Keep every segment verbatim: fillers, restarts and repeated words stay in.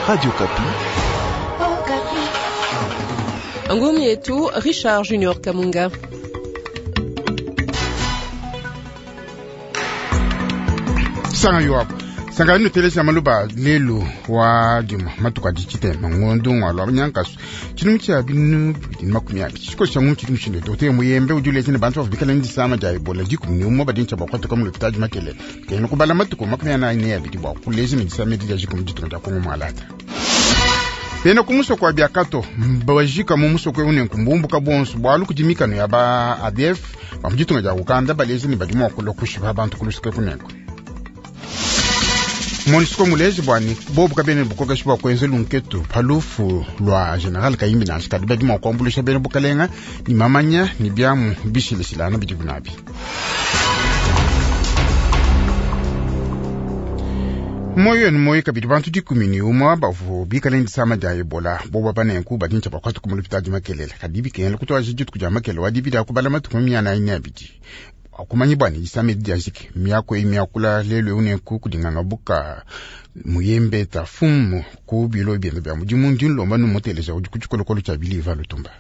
Radio Okapi. Ngumi yetu Richard Junior Kamunga. Sanga yo apo sanga ino telesa maluba lelu wa dima matuka dichite mangondo ngwalo abanyankaso chinu cha binu makumi abiri chiko cha mu chinu chinde dote muyembe ujule chine bantu bikala ndisama ja ebola dikumi ni umwe badincha bakwata kwa mulupitaji makele kene kubala matuko makumi anayi ne abiri bwa kulezi midisama edija jikumi ditunga ja Kongo mwalata bena ku musoko wa biakato bajika mu musoko une nkumbumbuka bonso bwalu kudimikano ya ba A D F ba muditunga dia Uganda balezi ni badi mua kulua kushipa bantu kulusika kunenko. MONUSCO mulezi bwani bobu kabene bukokeshi bwa kwenza lunketu palufu lwa general Kayimbi nansha kadi badi mua kuambulisha bena bukalenga ni mamanya ni biamu bishileshilana bidi bunabi. Moyo ni moyo kabidi bantu dikumi ni umwe bavu bikale ndisama dia ebola boba banenku badincha bakwata kumulupitadi makelela kadi bikengela kutwaji dituku dia makele wa dibidi akubala matuku miana ine abidi akumanyi bwani disama edi diajiki miako eyi miakula lelu eu nenku kudinganga buka muyembe ta fumu ku bilo bienda bia mudimu ndi nlomba numuteleja udi ku tshikolokolo tshia biliva lutumba.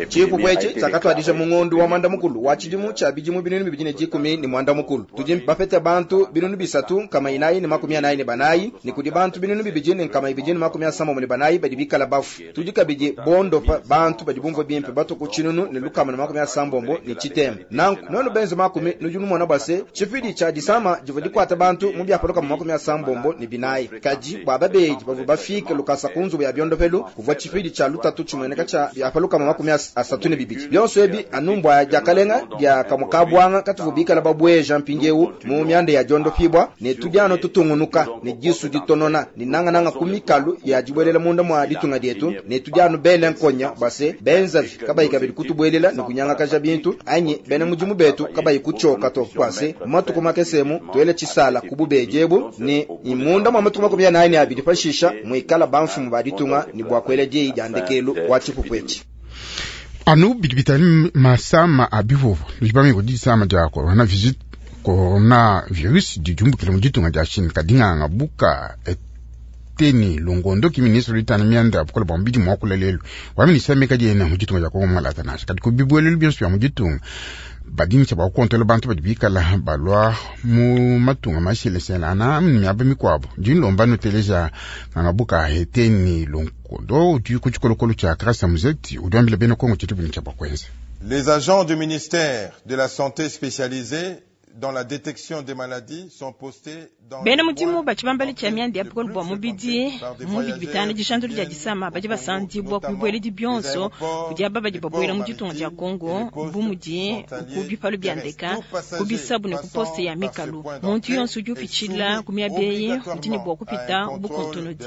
Tshipupu etshi tshiakatuadija mu ngondo wa mwanda mukulu wa tshidimu tshia bidimu binunu bibidi ne dikumi ne mwanda mukulu. Tudi bapete bantu binunu bisatu nkama inayi ne makumi anayi ne banayi ne kudi bantu binunu bibidi ne nkama ibidi ne makumi asambombo ne banayi badi bikala bafu. Tudi kabidi bondopa bantu badi bumvua bimpe batuku tshinunu ne lukama ne makumi asambombo ne tshitema. Nanku nuenu benze makumi nudi numona bua se tshipidi tshia disama divua dikuata bantu mu biapa lukama makumi asambombo ne binayi. Kadi bua babedi bavua bafike lukasa ku nzubu ya biondopelu kuvua tshipidi tshia lutatu tshimueneka tshia biapa lukama makumi asatu ne bibidi. Bionso ebi anu mbua diakalenga dia kamukabwanga katuvu bikala babweja mpindiewu mu mianda ya diondopibwa ne tudi anu tutungunuka ne disu ditonona ne nangananga ku mikalu ya dibuelela munda mua ditunga dietu ne tudi anu bele nkonya base benzavi kabayi kabidi kutubuelela ne kunyangakaja bintu anyi bena mudimu betu kabayi kutshioka to kwase matuku makesemu tuele tshisala ku bubedi ebu ne imunda mua matuku makumi anayi ne abidi pashisha muikala bamfumu ba ditunga ne bua kuela diyi dia ndekelu wa tshipupu etshi. Anu bidi bitali masama a bivuvu lujibamiko disama dia corona visit coronavirus didiumbukile mu ditunga dia Chine kadinganga buka eteni longondo ki ministre litana mianda bukola bua mubidi muakula lelu wa ministre meka diena mu ditunga dia Kongo mwalata nansha kadi ku bibuelelu bionso bia mu ditunga badintsha bua kukontola bantu badi bikala balua mu matunga masheleshela ana miaba mikuabu dinlomba nuteleja nganga buka eteni longondo udi ku tshikolokolo tshia Grâce Muzeti udi wambila bena Kongo tshidi bini tshia bua kuenza. Les agents du ministère de la Santé spécialisés dans la détection des maladies sont postés dans bena mudimu batshibambala tshia mianda ya bukole bua mubidi mu bidi bitanu dishandulu dia disama badi basandibwa ku bibueledi bionso kudi aba badi babuela mu ditunga dia Kongo bu mudi ku bipalu bia ndeka ku bisabu ne ku poste ya mikalu. Muntu yonso udi upitshila ku miaba eyi udi ne bua kupita bukontonodi.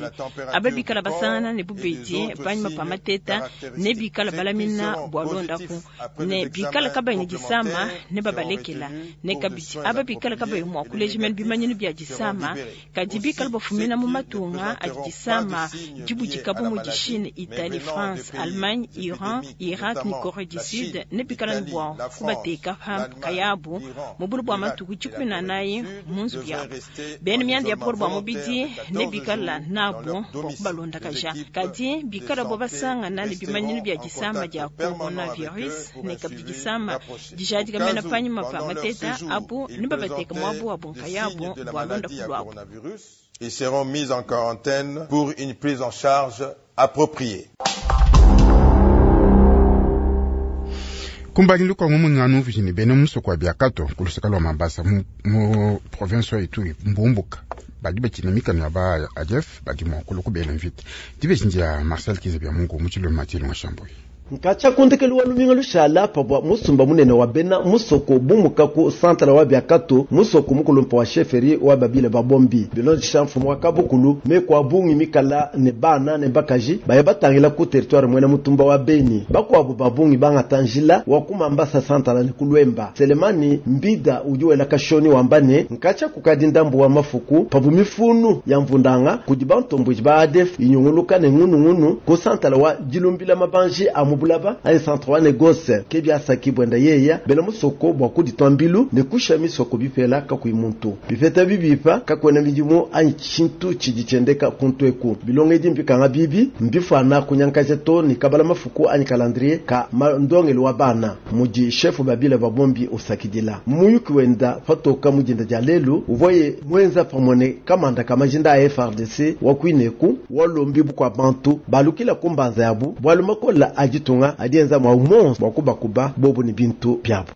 Aba bikala basangana ne bubedi panyima pa mateta ne bikala balamina bua londaku ne bikala kabayi ne disama ne babalekela ne kabidi aba bikala kabayi mua kuleja mene bimanyinu bia disama kadi bikala bafumina mu matunga adi disama dibudika bu mudi Chine, Italie, France, Allemagne, Iran, Irak ne Corée du Sud ne bikala ne bua kubateka pa nkayabu mu bulu bua matuku dikumi na anayi mu nzubu yabu. Bena mianda ya bukole bua mubidi ne bikala nabu bua kubalondakaja kadi bikala bo basangana ne bimanyinu bia disama dia coronavirus ne kabidi disama dijadika mena panyima pa mateta abu ne babateka muabu wabu nkayabu bua londapu luabu. Ils seront mis en quarantaine pour une prise en charge appropriée. Kumbangilu kwa ng'anu mvijini bena musoko wa biakato kulusaka lwa Mambasa mu, mu province wa Ituri mbumbuka badi bakina mikano ya ba A D F badi mua kulua kubela mvita dibeji ya Marcel Kiza bya Mungu mu tshilo Mathieu Ngashambui. Nkatsha kundekelu wa luminga lushala pavua musumba munene wa bena musoko bumuka ku santala wa biakato musoko mukulumpa wa chefferie wa babile babombi bilondesha mfumu wa kabukulu meko bungi mikala ne bana ne bakaji baya batangila ku territoire mwena mutumba wa Beni bakuabu babungi bangata njila wa kumambasa santala ne kulwemba. Selemani Mbida udi wela kashoni wamba ne nkatsha kukadi ndambu wa mafuku pavu mifunu ya mvundanga kudi bantombuji ba A D F inyunguluka ne ngunungunu ku santala wa dilumbila mabanji a mu bulaba anyi centre wa négoce ke biasaki bwenda yeya bena musoko bwa kuditwa mbilu ne kusha misoko bipela kakuyi muntu bipeta bibipa kakwena midimu anyi tshintu tshidi tshiendeka kuntu eku bilongo edi mbikanga bibi mbifana kunyankaja to ni kabala mafuku anyi calendrier ka ndongelo wa bana mudi chef babila babombi usakidila muyuki wenda patoka mudinda dia lelu uvoye mwenza pamwe ne kamanda kamajinda a F A R D C wa kuineku walombi bukwa bantu balukila kumbanza yabu bwalu makola ajitunga adienza mwa umonso bwa kubakuba bobu ni bintu byabo.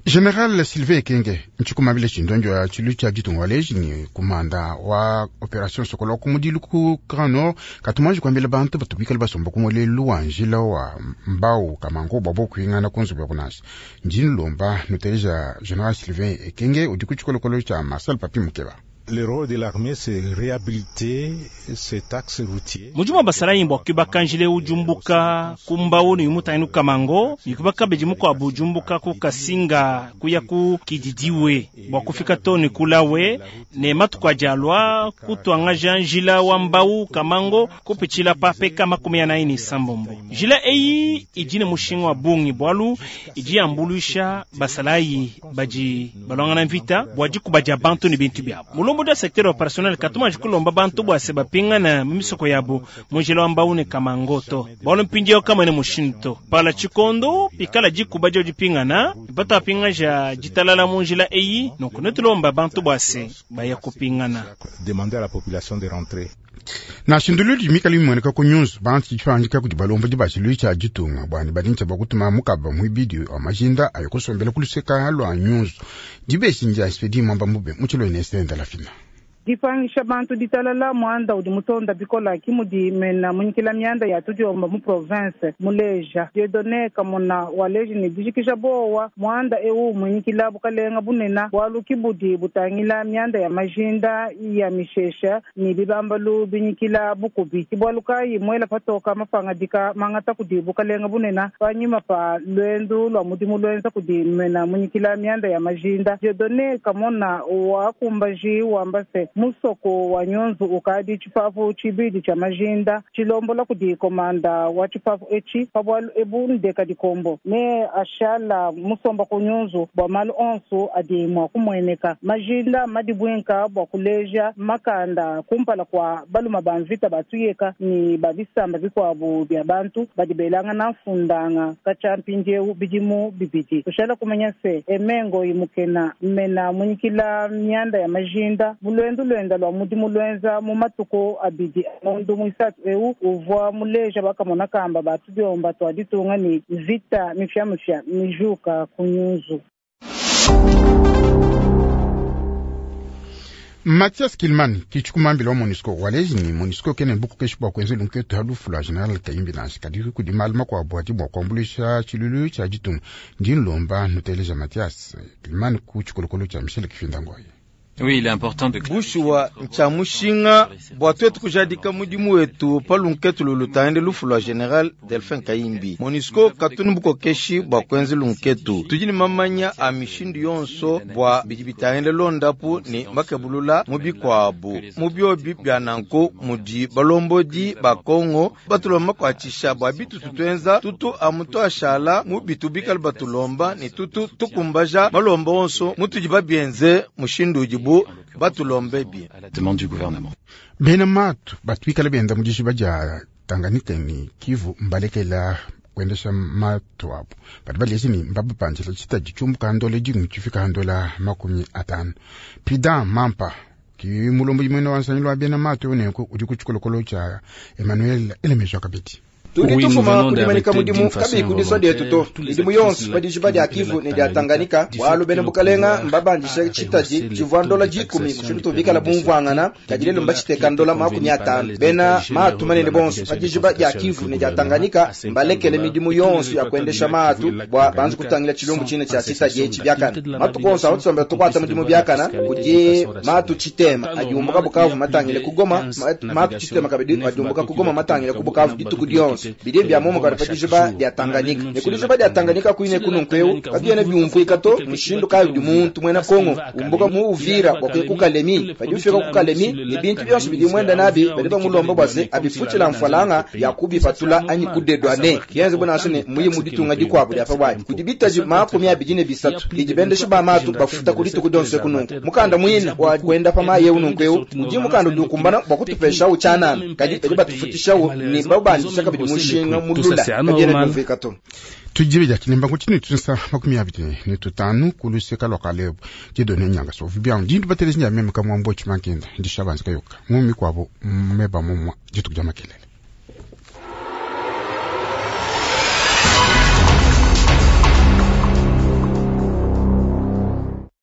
General Sylvain Ekenge nchikumabile chindonjo ya chilu cha jitunga waleji ni kumanda wa operation Sokola kumudilu ku Grand Nord katumanji kwambila bantu batubikala basomba kumolelu wa njila wa mbau kamango babo kuingana kunzu ya kunasi njini lomba nuteleja General Sylvain Ekenge udi kuchikolokolo cha Marcel Papi Mukeba. Le rôle de l'armée, c'est réhabiliter cet axe routier. Mujuma basalayi mbwa kubakanjile ujumbuka kumbawo ni mutayinu kamango yikubaka beji muko abujumbuka ku kasinga kuya ku kididiwe bwa kufika toni kulawe ne matuko ajalwa kutwangaja njila wa mbau kamango kupichila pape kama kumi ya naini sambombo jila eyi ijine mushinga wa bungi bwalu iji ambulusha basalayi baji balwangana mvita bwaji kubaja bantu ni bintu byabo mulombo da secteur opérationnel katuma jikulomba bantu bwase bapingana mimisoko yabo mujila wa mbau ne kamangoto bwalo mpindiyo kama ne mushinto pala chikondo pikala jikuba jo jipingana bata pinga ja jitalala munjila eyi nonku netulomba bantu bwase baya kupingana. Demander à la population de rentrer. Na shindulu mikali mweneka ku news bantu chifangika kuti balombo dibachilu cha jitunga bwani badincha bakutuma mukaba mwibidi wa majinda ayokusombela kuluseka lwa news dibeshinja spedi mwamba mube muchilo inesenda la fina dipangisha bantu ditalala mwanda udi mutonda bikola kimudi mena munyikila myanda ya tudiomba mu province muleja Dieudonné Kamona waleji ni dijikisha bowa mwanda ewu munyikila bukalenga bunena bwalu kibudi butangila myanda ya majinda ya mishesha ni bibambalu binyikila bukubi kibwalukayi mwela patoka mapangadika mangata kudi bukalenga bunena panyima pa lwendu lwa mudimu lwenza kudi mena munyikila myanda ya majinda Dieudonné Kamona wakumbaji wambase musoko wa nyunzu ukadi chipafu chibidi cha majinda chilombola kudi komanda wa chipafu echi pabwalu ebu ndeka dikombo ne ashala musomba ku nyunzu bwa malu onso adi mwa kumweneka majinda madibwinka bwa kuleja makanda kumpala kwa baluma ba mvita batuyeka ni babisamba bikwabu bya bantu badibelanga na mfundanga kacha mpindieu bidimu bibidi kushala kumenya se emengo imukena mena munyikila myanda ya majinda bulwendu lwenda lwa mudimu lwenza mu matuko abidi amondu mwisatu eu uvwa muleja bakamona kamba batudiomba twaditunga ni vita mifyamifya mijuka kunyuzu. Mathias Kilman kichukumambila wa MONUSCO waleji ni MONUSCO kene buku keshi bwa kwenze lunketu halufu lwa General Kayimbi nansi kadi kudi maluma kwa bwati bwa kuambulisha chilulu cha jitunga ndinlomba nuteleja Mathias Kilman ku chikolokolo cha Michel Kifinda Ngoyi. Oui, il est important de bushuwa ncha mushinga bwa twetu kujadika mudimu wetu palunketu lulutande lufu lwa General Delphin Kayimbi. MONUSCO katuni bukokeshi bwa kwenzi lunketu tujini mamanya a mishindu yonso bwa bidi bitahende londapu ni makebulula mubikwabu mubyobi bya nanku mudi balombodi ba Kongo batulomba makwatshisha bwa bitu tutwenza tutu amutu ashala mu bitu bikali batulomba ni tutu tukumbaja malomba onso mutudi babyenze mushindu udibu batulombe bien. À la demande du gouvernement. Bena matu batwikala benda mudishi baja Tanganyika ni Kivu mbalekela kuendesha matu apo bati balezi ni mbabapanjila chitaji chumbuka handola jingu chifika handola makumi atano Prida Mampa ki mulombo jimwene wansanyilo wa bena matu unenku udi kuchikolokolo cha Emmanuel Elemejwa Kabeti. Tudi tufuma kudimanika mudimu kabi kudiswa dietu to midimu yonso padijiba dia Kivu ne dia Tanganyika bwalu bene bukalenga mbabandisha chitaji chivwa ndola jikumi mushindu tuvikala bumvwangana kadilelo mbachiteka ndola makumi atano bena maatu manene bonso padijiba dia Kivu ne dia Tanganyika mbalekele midimu yonso ya kuendesha maatu bwa banzu kutangila chilumbu chine cha chitaji echi byakana matu konso abatusomba tukwata mudimu byakana kudi maatu chitema adiumbuka Bukavu matangile kugoma maatu chitema kabidi adiumbuka kugoma matangile ku Bukavu dituku dionso. dionso. Bidi bia momo kadi pa dijiba dia Tanganyika. Ne ku dijiba dia Tanganyika kuine kununku eu kabiena biumvuika to mushindu kayi udi muntu muena Kongo umbuka mu Uvira bua kuya ku Kalemi, padi ufika ku Kalemi ne bintu bionso bidi muenda nabi badi bamulomba bua se abifutshila mfalanga ya kubipatula anyi kudedwane. Bienze bu nansha ne muyi mu ditunga dikuabu dia pa buadi. Kudi bitaji makumi abidi ne bisatu bidi bendeshi ba matu bafuta ku dituku dionso kununku. Mukanda muine wa kuenda pa mayi eu nunku eu udi mukanda udi ukumbana bua kutupeshawu tshianana, kadi badi batufutishawu ne babandisha kabidi mushinga mulula, kabiena biumvuika to. Tujibe dia kilemba kutini tusa makumi abidi ne tutanu kuluseka lwa Kalebu Dieudonné Nyanga so vibia ndindu batelezi nya meme kamwambo chimankenda ndishabanza kayoka mumi kwabo meba mumwa dituku dia makelele.